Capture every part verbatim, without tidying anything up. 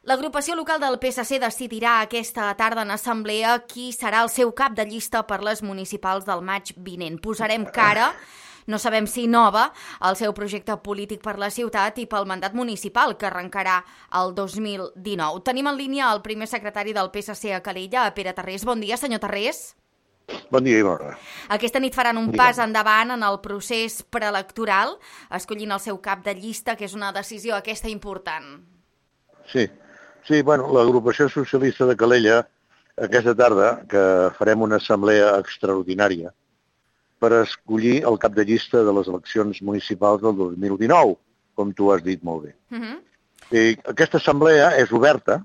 L'agrupació local del P S C decidirà aquesta tarda en assemblea qui serà el seu cap de llista per les municipals del maig vinent. Posarem cara, no sabem si nova, al seu projecte polític per la ciutat i pel mandat municipal que arrencarà el dos mil dinou. Tenim en línia el primer secretari del P S C a Calella, Pere Tarrés. Bon dia, senyor Tarrés. Bon dia, Ibarra. Aquesta nit faran un pas endavant en el procés preelectoral, escollint el seu cap de llista, que és una decisió aquesta important. Sí, sí, bueno, l'agrupació socialista de Calella, aquesta tarda, que farem una assemblea extraordinària per escollir el cap de llista de les eleccions municipals del dos mil dinou, com tu has dit molt bé. Uh-huh. I aquesta assemblea és oberta,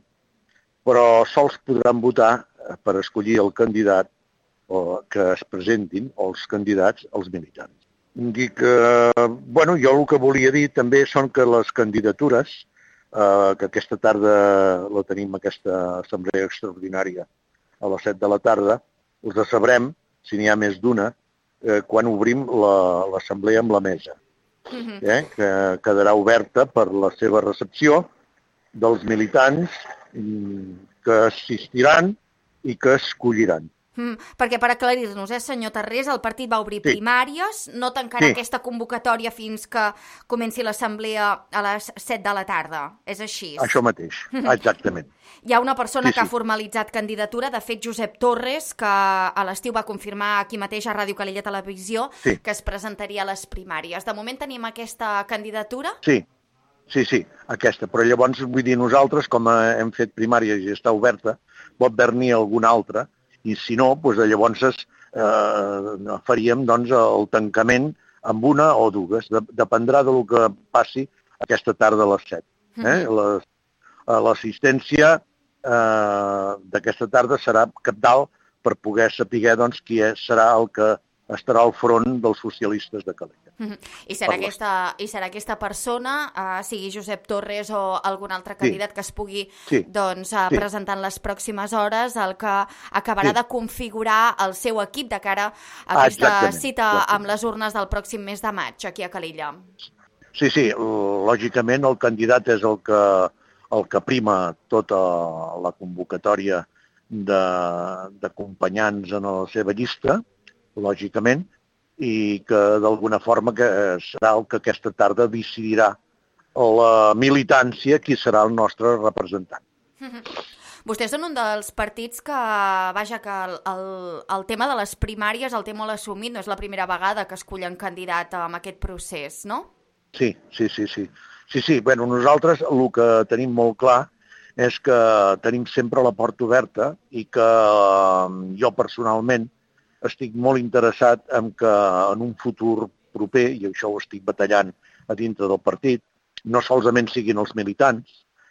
però sols podran votar per escollir el candidat o que es presentin els candidats als militants. Dic que, bueno, jo el que volia dir també són que les candidatures, eh, que aquesta tarda la tenim, aquesta assemblea extraordinària a les set de la tarda, els sabrem, si n'hi ha més d'una, eh, quan obrim l'assemblea amb la mesa, eh, que quedarà oberta per la seva recepció dels militants que assistiran i que escolliran. Mm, perquè per aclarir-nos, eh, senyor Tarrés, el partit va obrir sí. primàries, no tancarà sí. aquesta convocatòria fins que comenci l'assemblea a les set de la tarda. És així? Això mateix, exactament. Hi ha una persona sí, que sí. ha formalitzat candidatura, de fet, Josep Torres, que a l'estiu va confirmar aquí mateix a Ràdio Calella Televisió sí. que es presentaria a les primàries. De moment tenim aquesta candidatura? Sí, sí, sí, aquesta. Però llavors, vull dir, nosaltres, com hem fet primàries i està oberta, pot haver-n'hi alguna altra, i si no, doncs llavors eh, faríem doncs, el tancament amb una o dues. De, dependrà del que passi aquesta tarda a les set. Eh? L'assistència eh, d'aquesta tarda serà cabdal per poder saber doncs, qui serà el que estarà al front dels socialistes de Calella. Uh-huh. I, serà aquesta, I serà aquesta persona, uh, sigui Josep Torres o algun altre candidat sí. que es pugui sí. doncs, uh, sí. presentar en les pròximes hores, el que acabarà sí. de configurar el seu equip de cara a aquesta ah, cita exactament. amb les urnes del pròxim mes de maig aquí a Calella. Sí, sí, lògicament el candidat és el que, el que prima tota la convocatòria d'acompanyants en la seva llista, lògicament, i que d'alguna forma que serà el que aquesta tarda decidirà la militància qui serà el nostre representant. Vostès són un dels partits que, vaja, que el, el, el tema de les primàries el té molt assumit, no és la primera vegada que escullen candidat en aquest procés, no? Sí, sí, sí, sí. Sí, sí, bueno, nosaltres el que tenim molt clar és que tenim sempre la porta oberta i que jo personalment estic molt interessat en que en un futur proper, i això ho estic batallant a dintre del partit, no solament siguin els militants,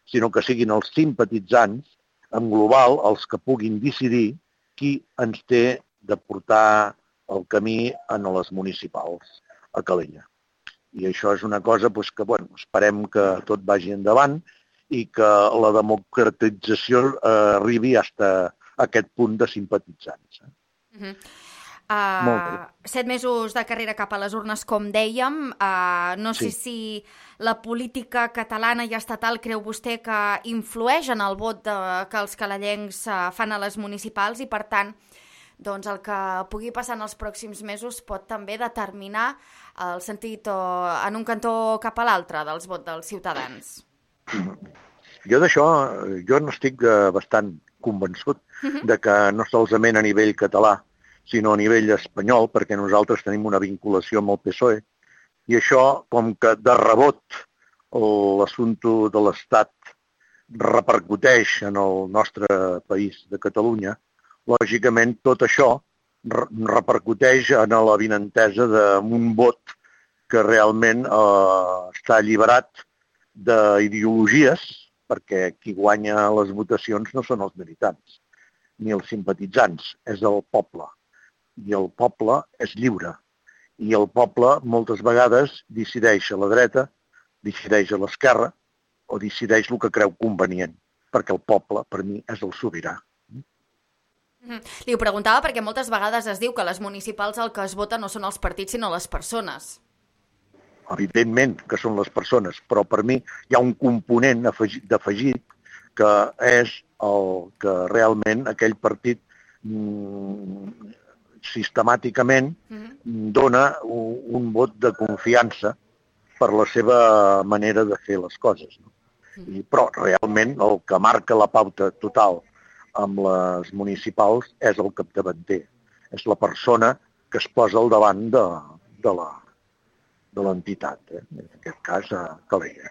sinó que siguin els simpatitzants, en global, els que puguin decidir qui ens té de portar el camí en les municipals a Calella. I això és una cosa doncs, que bueno, esperem que tot vagi endavant i que la democratització eh, arribi fins a aquest punt de simpatitzants. Uh-huh. Uh, set mesos de carrera cap a les urnes, com dèiem. Uh, no sé sí. si la política catalana i estatal creu vostè que influeix en el vot de, que els calellencs uh, fan a les municipals i, per tant, doncs el que pugui passar en els pròxims mesos pot també determinar el sentit o, en un cantó cap a l'altre dels vots dels ciutadans. Jo d'això, jo n'estic bastant convençut uh-huh. de que no solament a nivell català, sinó a nivell espanyol, perquè nosaltres tenim una vinculació amb el P S O E, i això, com que de rebot l'assumpte de l'Estat repercuteix en el nostre país de Catalunya, lògicament tot això repercuteix en la vinentesa d'un vot que realment eh, està alliberat d'ideologies, perquè qui guanya les votacions no són els militants, ni els simpatitzants, és el poble. I el poble és lliure. I el poble moltes vegades decideix a la dreta, decideix a l'esquerra o decideix el que creu convenient, perquè el poble, per mi, és el sobirà. Mm-hmm. Li ho preguntava perquè moltes vegades es diu que les municipals el que es vota no són els partits sinó les persones. Evidentment que són les persones, però per mi hi ha un component d'afegit que és el que realment aquell partit mm, sistemàticament dona un, un vot de confiança per la seva manera de fer les coses. No? I, però realment el que marca la pauta total amb les municipals és el capdavanter. És la persona que es posa al davant de, de la de l'entitat, eh? En aquest cas a Calella.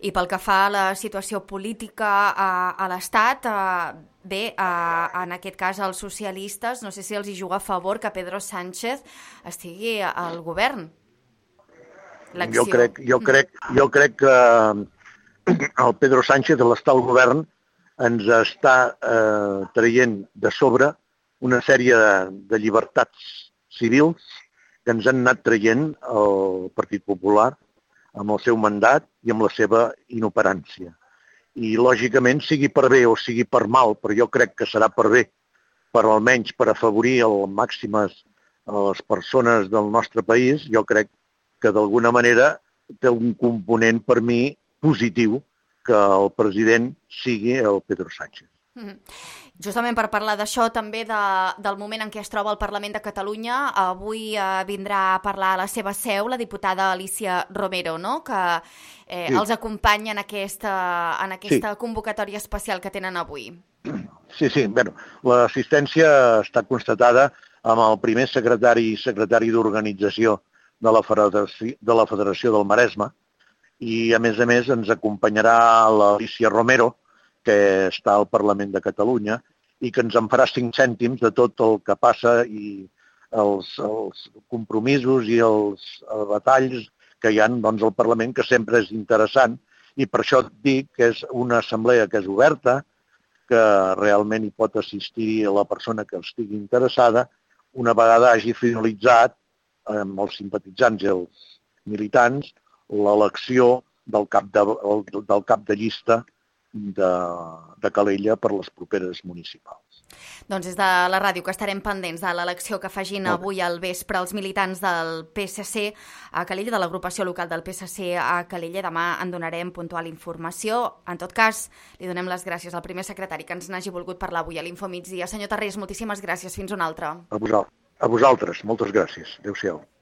I pel que fa a la situació política a, a l'Estat, eh, bé, eh, en aquest cas els socialistes, no sé si els hi juga a favor que Pedro Sánchez estigui al govern. Jo crec, jo crec, jo crec que el Pedro Sánchez, a l'estar al govern, ens està eh, traient de sobre una sèrie de, de llibertats civils que ens han anat traient el Partit Popular amb el seu mandat i amb la seva inoperància. I, lògicament, sigui per bé o sigui per mal, però jo crec que serà per bé, per almenys per afavorir al màximes a les persones del nostre país, jo crec que d'alguna manera té un component per mi positiu que el president sigui el Pedro Sánchez. Mm-hmm. Justament per parlar d'això, també de, del moment en què es troba el Parlament de Catalunya, avui eh, vindrà a parlar a la seva seu la diputada Alicia Romero, no? que eh, sí. els acompanya en aquesta, en aquesta sí. convocatòria especial que tenen avui. Sí, sí. Bueno, l'assistència està constatada amb el primer secretari i secretari d'organització de la Federació, de la Federació del Maresme, i a més a més ens acompanyarà l'Alicia Romero, que està al Parlament de Catalunya i que ens en farà cinc cèntims de tot el que passa i els, els compromisos i els, els batalls que hi ha doncs, al Parlament, que sempre és interessant, i per això et dic que és una assemblea que és oberta, que realment hi pot assistir la persona que estigui interessada, una vegada hagi finalitzat amb els simpatitzants i els militants l'elecció del cap de, del cap de llista de, de Calella per les properes municipals. Doncs des de la ràdio que estarem pendents de l'elecció que facin avui al vespre els militants del P S C a Calella, de l'agrupació local del P S C a Calella. Demà en donarem puntual informació. En tot cas, li donem les gràcies al primer secretari que ens n'hagi volgut parlar avui a l'Infomigdia. Senyor Tarrés, moltíssimes gràcies. Fins una altra. A vosaltres, a vosaltres moltes gràcies. Adéu-siau.